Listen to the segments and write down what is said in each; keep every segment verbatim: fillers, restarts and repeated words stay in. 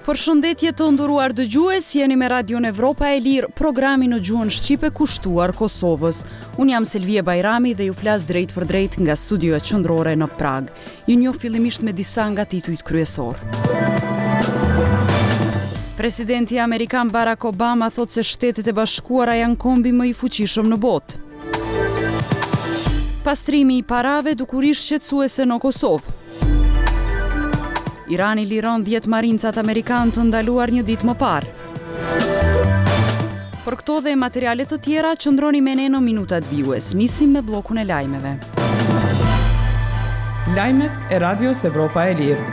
Përshëndetje të nderuar dëgjues, jeni me Radion Evropa e Lirë, programi në gjuhën shqipe kushtuar Kosovës. Unë jam Selvije Bajrami dhe ju flas drejt për drejt nga studioja qendrore në Pragë. Ju njoh fillimisht me disa nga titujt kryesor. Presidenti amerikan Barack Obama thotë se Shtetet e Bashkuara janë kombi më i fuqishëm në botë. Pastrimi i parave dukuri shqetësuese në Kosovë. Irani liron dhjetë marincat amerikanë të ndaluar një ditë më parë. Për këto dhe materiale të tjera, qëndroni me ne në minutat vijues. Nisim me bllokun e lajmeve. Lajmet e Radios Evropa e Lirë.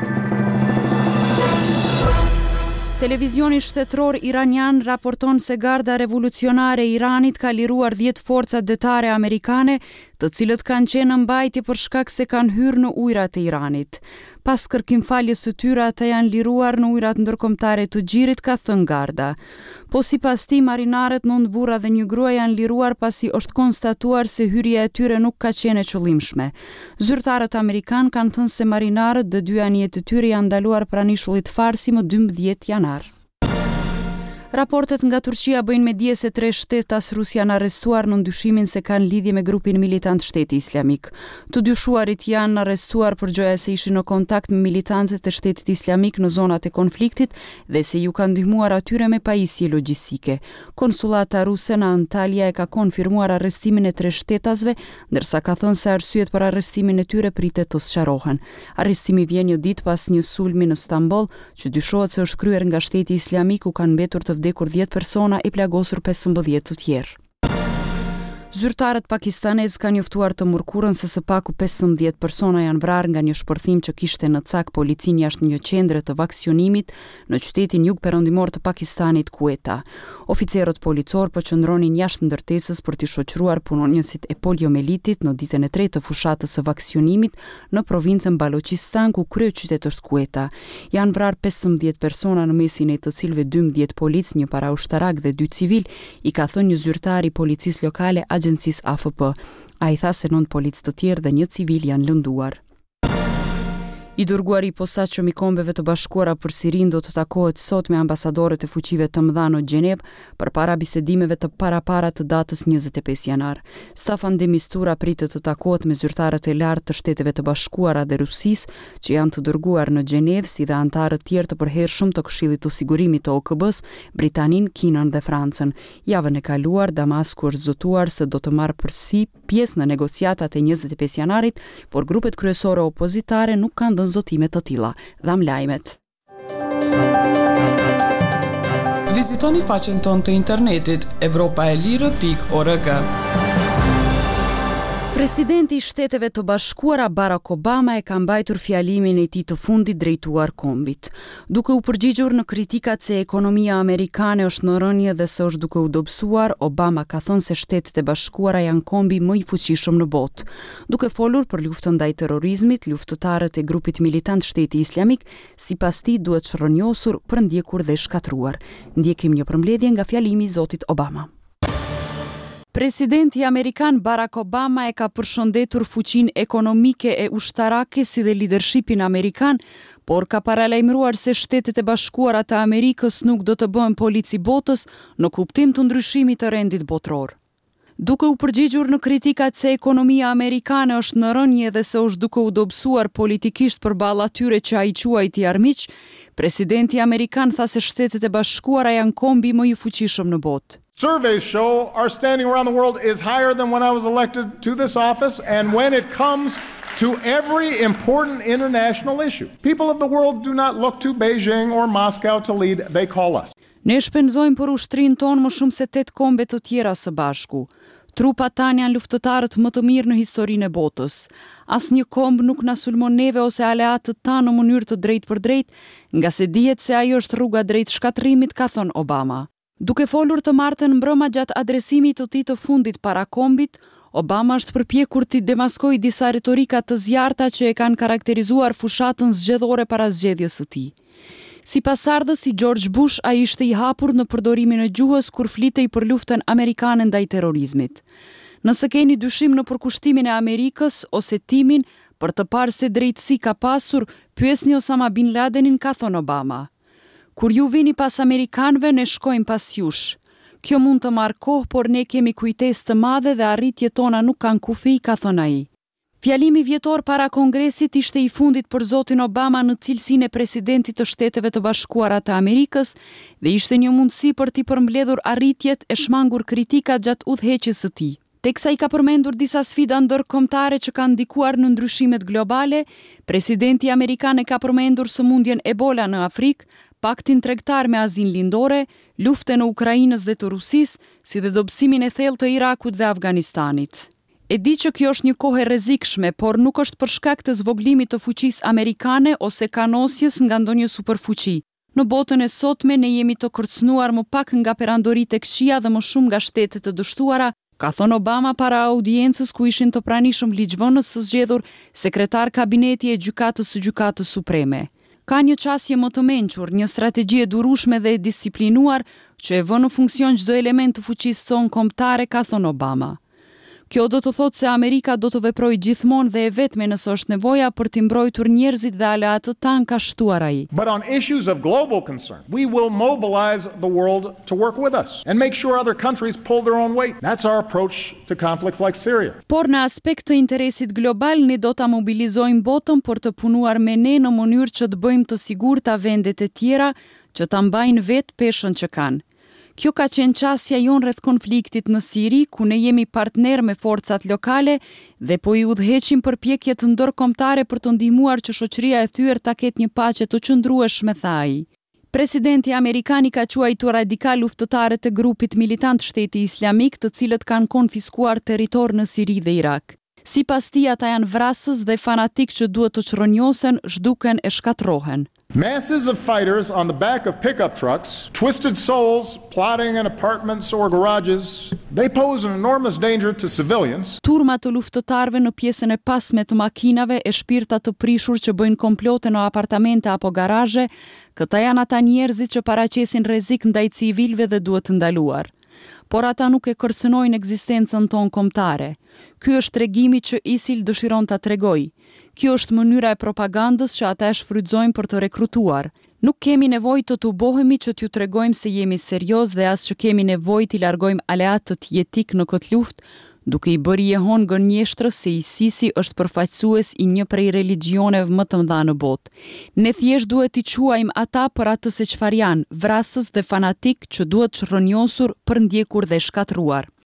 Televizioni shtetëror iranian raporton se Garda Revolucionare e Iranit ka liruar dhjetë forcat detare amerikane, të cilët kanë qenë në mbajtje për shkak se kanë hyrë në ujërat e Iranit. Pas kërkimfaljes së tyre, ata janë liruar në ujërat ndërkombëtare të Gjirit, ka thënë Garda. Po sipas tij, marinarët, nëntë burra dhe një grua, janë liruar pasi është konstatuar se hyrja e tyre nuk ka qenë e qëllimshme. Zyrtarët amerikanë kanë thënë se marinarët dhe dy anijet e tyre janë ndaluar pranë ishullit Farsi më dymbëdhjetë janar. Raportet nga Turqia bëjnë me dije se tre shtetas rus janë arrestuar në dyshimin se kanë lidhje me grupin militant Shteti Islamik. Të dyshuarit janë arrestuar për gjoja se ishin në kontakt me militantët e Shtetit Islamik në zonat e konfliktit dhe se ju kanë ndihmuar atyre me pajisje logjistike. Konsullata ruse në Antalya e ka konfirmuar arrestimin e tre shtetasve, ndërsa ka thënë se arsyet për arrestimin e tyre pritet të sqarohen. Arrestimi vjen një ditë pas një sulmi në Stamboll, që dyshohet se është kryer nga Shteti Islamik, ku kanë mbetur të vdekur dhjetë persona e plagosur pesëmbëdhjetë të tjerë. Zyrtarët pakistanez kanë njoftuar të mërkurën se së paku pesëmbëdhjetë persona janë vrarë nga një shpërthim që kishte në cak policinë jashtë një qendre të vaksinimit në qytetin jug-perëndimor të Pakistanit, Quetta. Oficerët policor po qëndronin jashtë ndërtesës për t'i shoqëruar punonjësit e poliomelitit në ditën e tretë të fushatës së vaksinimit në provincën Balochistan, ku kryeqytet është Quetta. Janë vrarë pesëmbëdhjetë persona, në mesin e të cilëve dymbëdhjetë policë, një paraushtarak dhe dy civil, i ka thënë një zyrtar i policisë lokale agjencisë A F P. Ai tha se nëntë policë të tjerë dhe një civil janë lënduar. I dërguari i posaçëm i Kombeve të Bashkuara për Sirinë do të takohet sot me ambasadorët e fuqive të mëdha në Gjenevë përpara bisedimeve të parapara të datës njëzet e pesë janar. Staffan de Mistura pritet të takohet me zyrtarët e lartë të Shteteve të Bashkuara dhe Rusisë, që janë të dërguar në Gjenevë, si dhe anëtarët tjerë të përhershëm të Këshillit të Sigurimit të O K B-s, Britaninë, Kinën dhe Francën. Javën e kaluar, Damasku është zotuar se do të marrë përsi pjesë në negociatat e njëzet e pesë janarit, por grupet kryesore opozitare nuk kanë dhënë zotime të tilla. Dham lajmet. Vizitoni faqen tonë të internetit evropa e lirë pikë org. Presidenti i Shteteve të Bashkuara Barack Obama e ka mbajtur fjalimin e tij të fundit drejtuar kombit, duke u përgjigjur në kritikat se ekonomia amerikane është në rënje dhe se është duke u dobësuar. Obama ka thënë se Shtetet e Bashkuara janë kombi më i fuqishëm në botë. Duke folur për luftën ndaj terrorizmit, luftëtarët e grupit militant Shteti Islamik, sipas tij, duhet shrrënjosur, përndjekur dhe shkatruar. Ndjekim një përmbledhje nga fjalimi i zotit Obama. Presidenti amerikan Barack Obama e ka përshëndetur fuqinë ekonomike e ushtarake si dhe lidershipin amerikan, por ka paralajmëruar se Shtetet e Bashkuara të Amerikës nuk do të bëhen polici botës në kuptim të ndryshimit të rendit botëror. Duke u përgjigjur në kritikat se ekonomia amerikane është në rënje dhe se është duke u dobësuar politikisht përballë atyre që ai quajti armiq, presidenti amerikan tha se Shtetet e Bashkuara janë kombi më i fuqishëm në botë. Surveys show our standing around the world is higher than when I was elected to this office, and when it comes to every important international issue. People of the world do not look to Beijing or Moscow to lead, they call us. Ne shpenzojmë për ushtrinë tonë më shumë se tetë kombe të tjera së bashku. Trupat tanë janë luftëtarët më të mirë në historinë e botës. Asnjë komb nuk na sulmon neve ose aleatët tanë në mënyrë të drejtë për drejtë, nga se dihet se ajo është rruga drejt shkatërrimit, ka thënë Obama. Duke folur të martën mbrëma gjatë adresimit të tij të fundit para kombit, Obama është përpjekur t'i demaskojë disa retorika të zjarrta që e kanë karakterizuar fushatën zgjedhore para zgjedhjes së tij. Si pasardhës i George Bush, ai ishte i hapur në përdorimin e gjuhës kur flitej për luftën amerikane ndaj terrorizmit. Nëse keni dyshim në përkushtimin e Amerikës ose timin për të parë se drejtësi ka pasur, pyesni Osama Bin Ladenin, ka thënë Obama. Kur ju vini pas amerikanëve, ne shkojmë pas jush. Kjo mund të marrë kohë, por ne kemi kujtesë të madhe dhe arritjet tona nuk kanë kufi, ka thënë ai. Fjalimi vjetor para Kongresit ishte i fundit për zotin Obama në cilësinë e presidentit të Shteteve të Bashkuara të Amerikës dhe ishte një mundësi për t'i përmbledhur arritjet e shmangur kritikat gjatë udhëheqjes së tij. Teksa i ka përmendur disa sfida ndërkombëtare që kanë ndikuar në ndryshimet globale, presidenti amerikan e ka përmendur sëmundjen Ebola në Afrikë, paktin tregtar me Azinë Lindore, luftën e Ukrainës dhe të Rusisë, si dhe dobësimin e thellë të Irakut dhe Afganistanit. E di që kjo është një kohë e rrezikshme, por nuk është për shkak të zvoglimit të fuqisë amerikane ose kanosjes nga ndonjë superfuqi. Në botën e sotme ne jemi të kërcënuar më pak nga perandoritë e këqija dhe më shumë nga shtetet të dështuara, ka thënë Obama para audiencës ku ishin të pranishëm ligjvënës të zgjedhur, sekretar kabineti e gjykatës së Gjykatës Supreme. Ka një qasje më të mençur, një strategji e durueshme dhe e disiplinuar që e vë në funksion çdo element të fuqisë tonë kombëtare, ka thënë Obama. Kjo do të thotë se Amerika do të veprojë gjithmonë dhe e vetme nëse është nevoja për të mbrojtur njerëzit dhe aleatët tanë, ka shtuar ai. But on issues of global concern, we will mobilize the world to work with us and make sure other countries pull their own weight. That's our approach to conflicts like Syria. Por në aspekt të interesit global, ne do ta mobilizojmë botën për të punuar me ne në mënyrë që të bëjmë të sigurta vendet e tjera që ta mbajnë vetë peshën që kanë. Kjo ka qenë qasja jonë rreth konfliktit në Siri, ku ne jemi partner me forcat lokale dhe po i udhëheqim përpjekjet ndërkombëtare për të ndihmuar që shoqëria e thyer ta ketë një paqe të qëndrueshme, tha ai. Presidenti amerikan i ka quajtur radikal luftëtarët e grupit militant Shteti Islamik, të cilët kanë konfiskuar territor në Siri dhe Irak. Sipas tij, ata janë vrasës dhe fanatik që duhet të çrrënjosen, zhduken e shkatërrohen. Masses of fighters on the back of pickup trucks, twisted souls plotting in apartments or garages, they pose an enormous danger to civilians. Turma të luftëtarëve në pjesën e pasme të makinave e shpirta të prishur që bëjnë komplote në apartamente apo garazhe, këta janë ata njerëzit që paraqesin rrezik ndaj civilëve dhe duhet të ndaluar. Por ata nuk e kërcënojnë ekzistencën tonë kombëtare. Ky është tregimi që ISIL dëshiron ta tregojë. Kjo është mënyra e propagandës që ata e shfrytëzojnë për të rekrutuar. Nuk kemi nevojë të tubohemi që t'ju tregojmë se jemi serioz dhe as që kemi nevojë t'i largojmë aleatët jetik në këtë luftë, duke i bërë jehon gënjeshtrës se ISIS-i është përfaqësues i një prej religjioneve më të mëdha në botë. Ne thjesht duhet t'i quajmë ata për atë se çfarë janë, vrasës dhe fanatik që duhet çrrënjosur, përndjekur dhe shkatërruar.